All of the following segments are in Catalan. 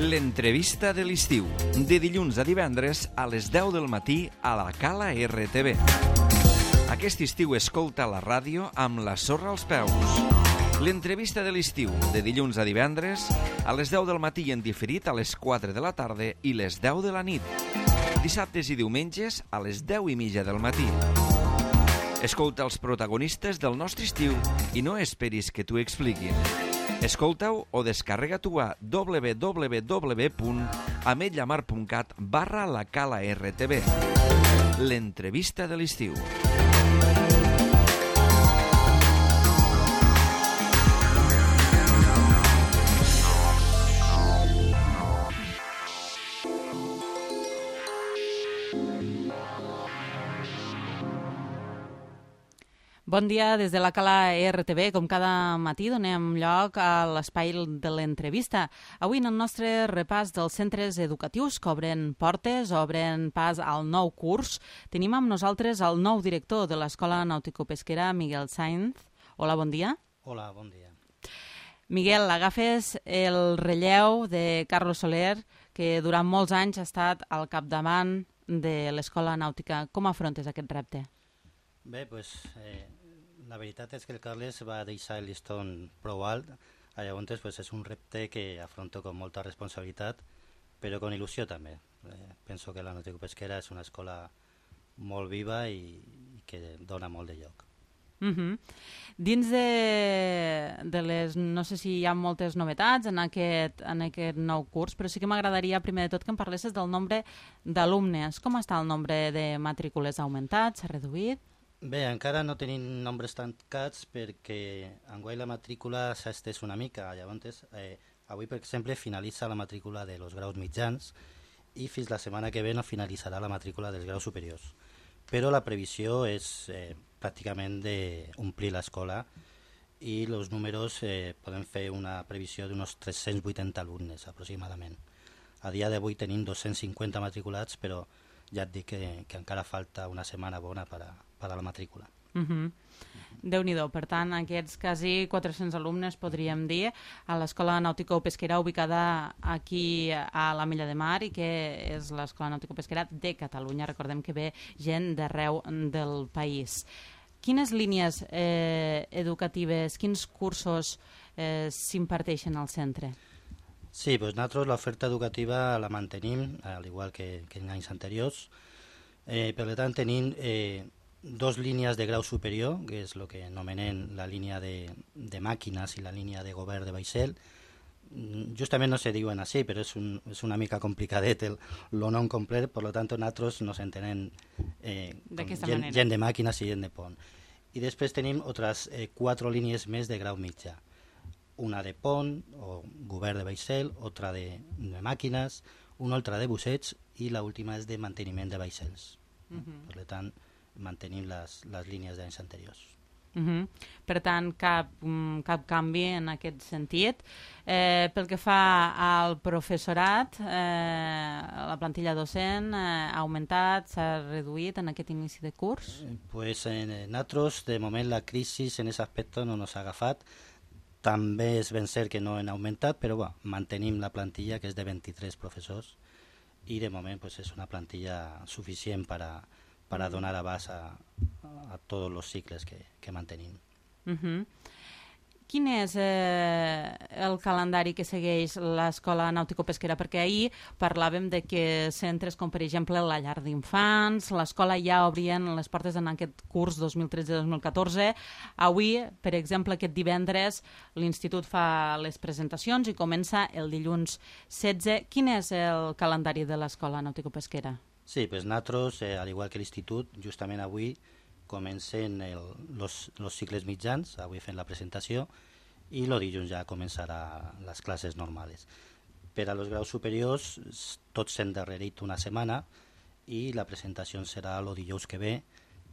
L'entrevista de l'estiu, de dilluns a divendres a les 10 del matí a la Cala RTV. Aquest estiu escolta la ràdio amb la sorra als peus. L'entrevista de l'estiu, de dilluns a divendres a les 10 del matí en diferit a les 4 de la tarda i les 10 de la nit. Dissabtes i diumenges a les 10:30 del matí. Escolta els protagonistes del nostre estiu i no esperis que t'ho expliquin. Escolta-ho o descarrega-t'ho a www.ametlamar.cat/la Cala RTV. L'entrevista de l'estiu. Bon dia des de la Cala RTV. Com cada matí donem lloc a l'espai de l'entrevista. Avui en el nostre repàs dels centres educatius que obren portes, obren pas al nou curs, tenim amb nosaltres el nou director de l'Escola Nàutico-Pesquera, Miguel Sainz. Hola, bon dia. Hola, bon dia. Miguel, agafes el relleu de Carlos Soler, que durant molts anys ha estat al capdavant de l'Escola Nàutica. Com afrontes aquest repte? Bé, la veritat és que el Carles va deixar el lliston prou alt, llavors és un repte que afronto amb molta responsabilitat, però amb il·lusió també. Penso que la Nàutico-Pesquera és una escola molt viva i que dona molt de lloc. Dins de les... No sé si hi ha moltes novetats en aquest nou curs, però sí que m'agradaria primer de tot que em parlessis del nombre d'alumnes. Com està el nombre de matrícules? Ha augmentat? S'ha reduït? Bé, encara no tenim nombres tancats perquè enguany la matrícula s'ha estès una mica. Llavors, avui, per exemple, finalitza la matrícula de los graus mitjans i fins la setmana que ve no finalitzarà la matrícula dels graus superiors. Però la previsió és pràcticament d'omplir l'escola i els números podem fer una previsió d'uns 380 alumnes aproximadament. A dia d'avui tenim 250 matriculats, però ja et dic que encara falta una setmana bona per a la matrícula. Déu-n'hi-do. Per tant, aquests quasi 400 alumnes, podríem dir, a l'Escola Nàutico-Pesquera ubicada aquí a l'Ametlla de Mar i que és l'Escola Nàutico-Pesquera de Catalunya. Recordem que ve gent d'arreu del país. Quines línies educatives, quins cursos s'imparteixen al centre? Sí, nosaltres l'oferta educativa la mantenim, al igual que en anys anteriors. Per tant, tenim dos línies de grau superior, que és el que anomenem la línia de màquines i la línia de govern de vaixell. Justament no se diuen així, però és una mica complicadet el nom complet, per tant nosaltres nos entenem gent de màquines i gent de pont. I després tenim altres 4 línies més de grau mitjà. Una de pont o govern de vaixell, altra de màquines, una altra de busseig i l'última és de manteniment de vaixells. Per tant, mantenim les línies d'anys anteriors. Per tant, cap canvi en aquest sentit. Pel que fa al professorat, la plantilla docent ha augmentat, s'ha reduït en aquest inici de curs? Nosaltres, de moment, la crisi en aquest aspecte no ens ha agafat. També és ben cert que no han augmentat, però mantenim la plantilla, que és de 23 professors, i de moment és una plantilla suficient per a donar abast a tots els cicles que mantenim. Quin és el calendari que segueix l'Escola Nàutico-Pesquera? Perquè ahir parlàvem de que centres com, per exemple, la llar d'infants, l'escola ja obrien les portes en aquest curs 2013-2014. Avui, per exemple, aquest divendres, l'Institut fa les presentacions i comença el dilluns 16. Quin és el calendari de l'Escola Nàutico-Pesquera? Sí, nosaltres, al igual que l'Institut, justament avui comencen els cicles mitjans, avui fent la presentació, i el dilluns ja començarà les classes normals. Per als graus superiors, tots s'han darrerit una setmana i la presentació serà el dijous que ve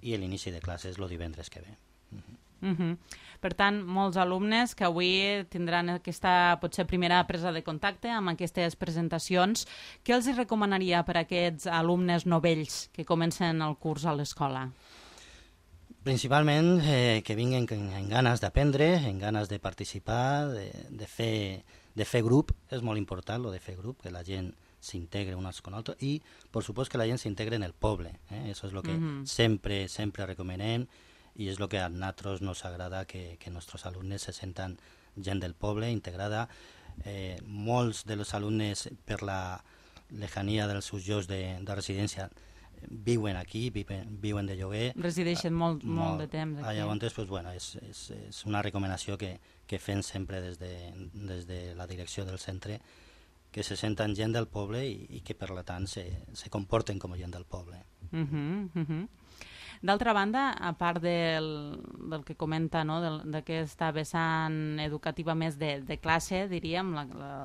i l'inici de classes el divendres que ve. Per tant, molts alumnes que avui tindran aquesta potser primera presa de contacte amb aquestes presentacions. Què els recomanaria per a aquests alumnes novells que comencen el curs a l'escola? Principalment que vinguin amb ganes d'aprendre, amb ganes de participar, de fer de fer grup, és molt important, lo de fer grup, que la gent s'integre uns con altres, i, per supost, que la gent s'integre en el poble. Eso és el que sempre recomanem, i és el que a nosaltres nos agrada, que nostres alumnes se senten gent del poble, integrada. Molts dels alumnes, per la lejania dels seus llocs de residència, viuen aquí, viuen de lloguer. Resideixen molt de temps aquí. Llavors, pues, bueno, és una recomanació que fem sempre des de la direcció del centre, que se senten gent del poble i que, per tant, se comporten com a gent del poble. D'altra banda, a part del que comenta, no? d'aquesta vessant educativa més de classe, diríem,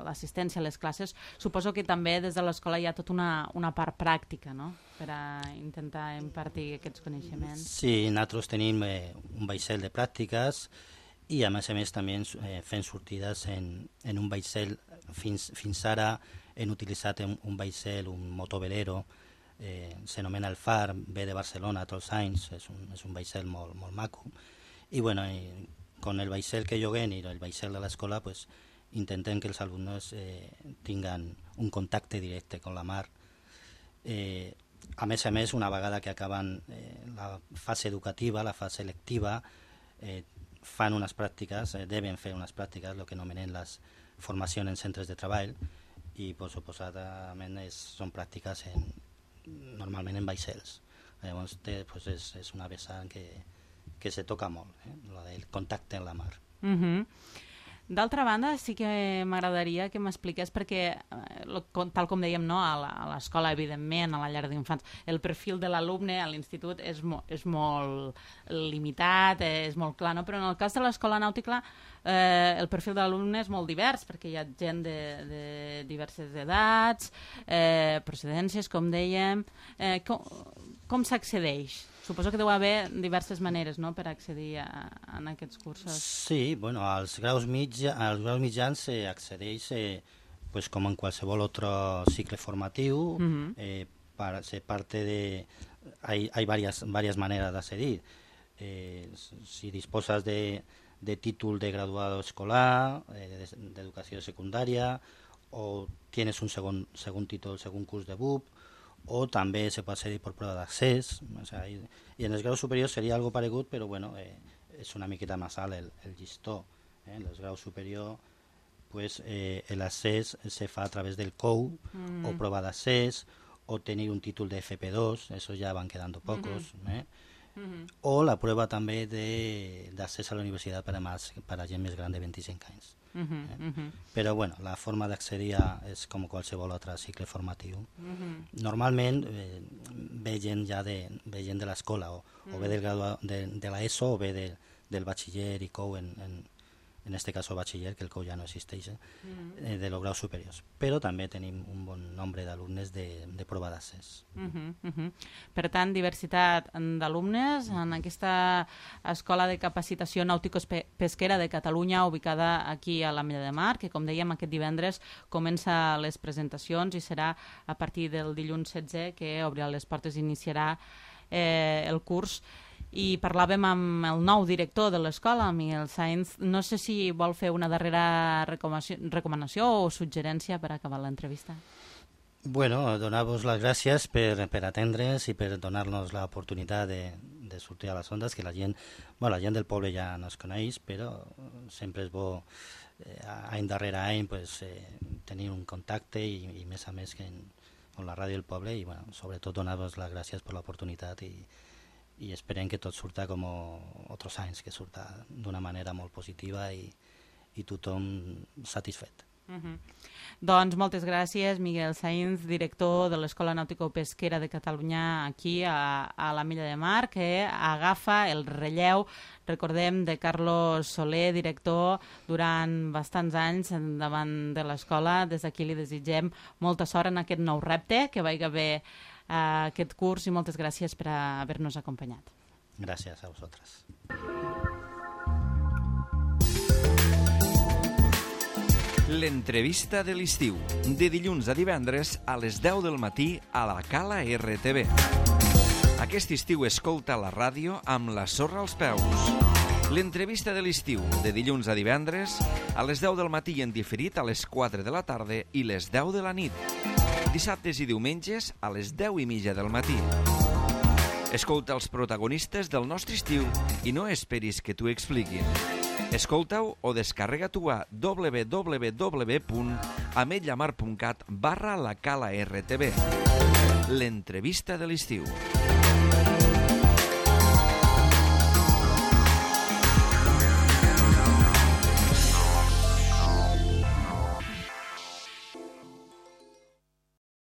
l'assistència a les classes, suposo que també des de l'escola hi ha tota una part pràctica, no? Per a intentar impartir aquests coneixements. Sí, nosaltres tenim un vaixell de pràctiques i, a més també fem sortides en un vaixell. Fins ara hem utilitzat un vaixell, un motovelero, s'anomena el Far, ve de Barcelona tots els anys, és un vaixell molt maco, i bueno, con el vaixell que lloguem i el vaixell de l'escola, pues intentem que els alumnes tinguen un contacte directe amb la mar. A més, una vegada que acaben la fase educativa, la fase lectiva, fan unes pràctiques, deben fer unes pràctiques, el que anomenen les formacions en centres de treball, i pues, suposadament són pràctiques normalment en vaixells. Llavors pues, és una vessant que se toca molt, el contacte en la mar. D'altra banda, sí que m'agradaria que m'expliqués, perquè, tal com dèiem, no, a l'escola, evidentment, a la llar d'infants, el perfil de l'alumne a l'institut és molt limitat, és molt clar, no? Però en el cas de l'escola nàutica el perfil de l'alumne és molt divers, perquè hi ha gent de diverses edats, procedències, com dèiem. Com s'accedeix? Suposo que deu haver diverses maneres, no?, per accedir a aquests cursos. Sí, bueno, als graus mitjans s'accedeix pues, com en qualsevol altre cicle formatiu. Hay varias maneras de accedir. Si disposas de títol de graduado escolar, de educació secundària, o tienes un segon títol, segon curs de BUP, o també se pot accedir per prova d'accés, i en els graus superiors seria algo paregut, però bueno, és una miqueta més alt el llistó. En els graus superiors pues, l'accés se fa a través del COU, o prova d'accés, o tenir un títol de FP2, eso ya van quedando pocos, o la prueba també d'accés a la universitat per a gent més gran de 25 anys. Però bueno, la forma d'accedir és com qualsevol altre cicle formatiu. Normalment ve gent de l'escola, o ve de l'ESO, o ve del batxiller i COU, en este caso batxiller, que el COU ja no existeix, de los graus superiors. Però també tenim un bon nombre d'alumnes de prova d'accés. Per tant, diversitat d'alumnes en aquesta Escola de Capacitació Nàutico-Pesquera de Catalunya, ubicada aquí a l'Ametlla de Mar, que, com dèiem, aquest divendres comença les presentacions i serà a partir del dilluns 16 que obrirà les portes i iniciarà el curs. I parlàvem amb el nou director de l'escola, Miguel Sainz. No sé si vol fer una darrera recomanació o suggerència per acabar l'entrevista. Bueno, donar-vos les gràcies per atendre'ns i per donar-nos l'oportunitat de sortir a les ondes, que la gent del poble ja no es coneix, però sempre és bo any darrere any tenir un contacte i més a més amb la ràdio del poble, i sobretot donar-vos les gràcies per l'oportunitat i esperem que tot surta com altres anys, que surta d'una manera molt positiva i tothom satisfet. Doncs moltes gràcies, Miguel Sainz, director de l'Escola Nàutico-Pesquera de Catalunya aquí a l'Ametlla de Mar, que agafa el relleu, recordem, de Carlos Soler, director durant bastants anys davant de l'escola. Des d'aquí li desitgem molta sort en aquest nou repte, que vagi bé aquest curs, i moltes gràcies per haver-nos acompanyat. Gràcies a vosaltres. L'entrevista de l'estiu, de dilluns a divendres a les 10 del matí a la Cala RTV. Aquest estiu escolta la ràdio amb la sorra als peus. L'entrevista de l'estiu, de dilluns a divendres, a les 10 del matí i en diferit a les 4 de la tarda i les 10 de la nit. Dissabtes i diumenges a les 10:30 del matí. Escolta els protagonistes del nostre estiu i no esperis que t'ho expliquin. Escolta-ho o descarrega-t'ho a www.ametlllamar.cat/la Cala RTV. L'entrevista de l'estiu.